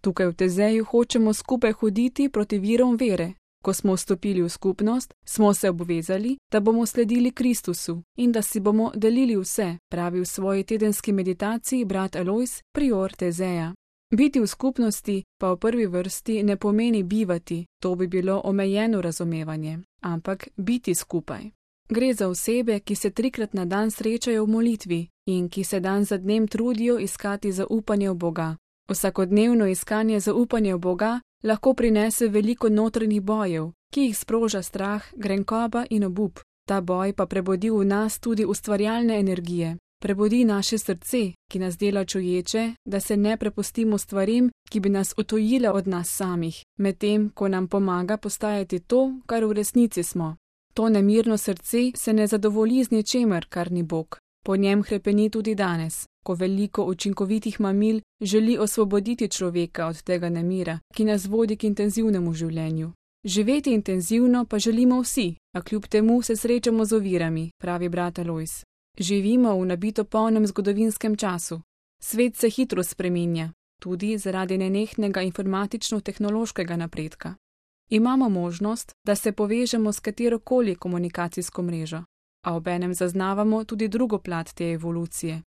Tukaj v Tezeju hočemo skupaj hoditi proti virom vere. Ko smo vstopili v skupnost, smo se obvezali, da bomo sledili Kristusu in da si bomo delili vse, pravi v svoji tedenski meditaciji brat Alojz, prior Tezeja. Biti v skupnosti pa v prvi vrsti ne pomeni bivati, to bi bilo omejeno razumevanje, ampak biti skupaj. Gre za osebe, ki se 3-krat na dan srečajo v molitvi in ki se dan za dnem trudijo iskati zaupanje v Boga. Vsakodnevno iskanje zaupanja v Boga lahko prinese veliko notranjih bojev, ki jih sproža strah, grenkoba in obup. Ta boj pa prebudi v nas tudi ustvarjalne energije. Prebudi naše srce, ki nas dela čuječe, da se ne prepustimo stvarim, ki bi nas odtujile od nas samih, medtem ko nam pomaga postajati to, kar v resnici smo. To nemirno srce se ne zadovolji z ničemer, kar ni Bog. Po njem hrepeni tudi danes, ko veliko učinkovitih mamil želi osvoboditi človeka od tega nemira, ki nas vodi k intenzivnemu življenju. Živeti intenzivno pa želimo vsi, a kljub temu se srečamo z ovirami, pravi brat Alojz. Živimo v nabito polnem zgodovinskem času. Svet se hitro spreminja, tudi zaradi nenehnega informatično-tehnološkega napredka. Imamo možnost, da se povežemo s katerokoli komunikacijsko mrežo, a obenem zaznavamo tudi drugo plat te evolucije.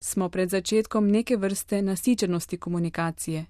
Smo pred začetkom neke vrste nasičenosti komunikacije.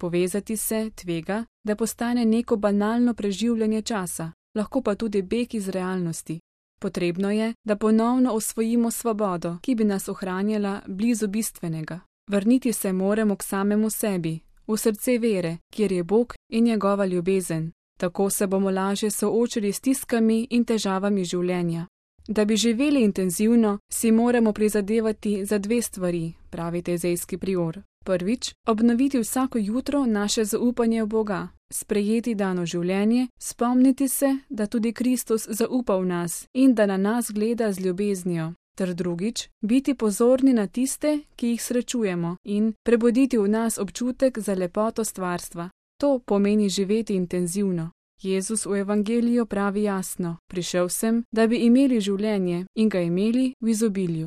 Povezati se tvega, da postane neko banalno preživljanje časa, lahko pa tudi beg iz realnosti. Potrebno je, da ponovno osvojimo svobodo, ki bi nas ohranjala blizu bistvenega. Vrniti se moramo k samemu sebi, v srce vere, kjer je Bog in njegova ljubezen. Tako se bomo lažje soočili s stiskami in težavami življenja. Da bi živeli intenzivno, si moramo prizadevati za 2 stvari, pravi tezejski prior. Prvič, obnoviti vsako jutro naše zaupanje v Boga, sprejeti dano življenje, spomniti se, da tudi Kristus zaupa v nas in da na nas gleda z ljubeznijo. Ter drugič, biti pozorni na tiste, ki jih srečujemo in prebuditi v nas občutek za lepoto stvarstva. To pomeni živeti intenzivno. Jezus v evangeliju pravi jasno: prišel sem, da bi imeli življenje in ga imeli v izobilju.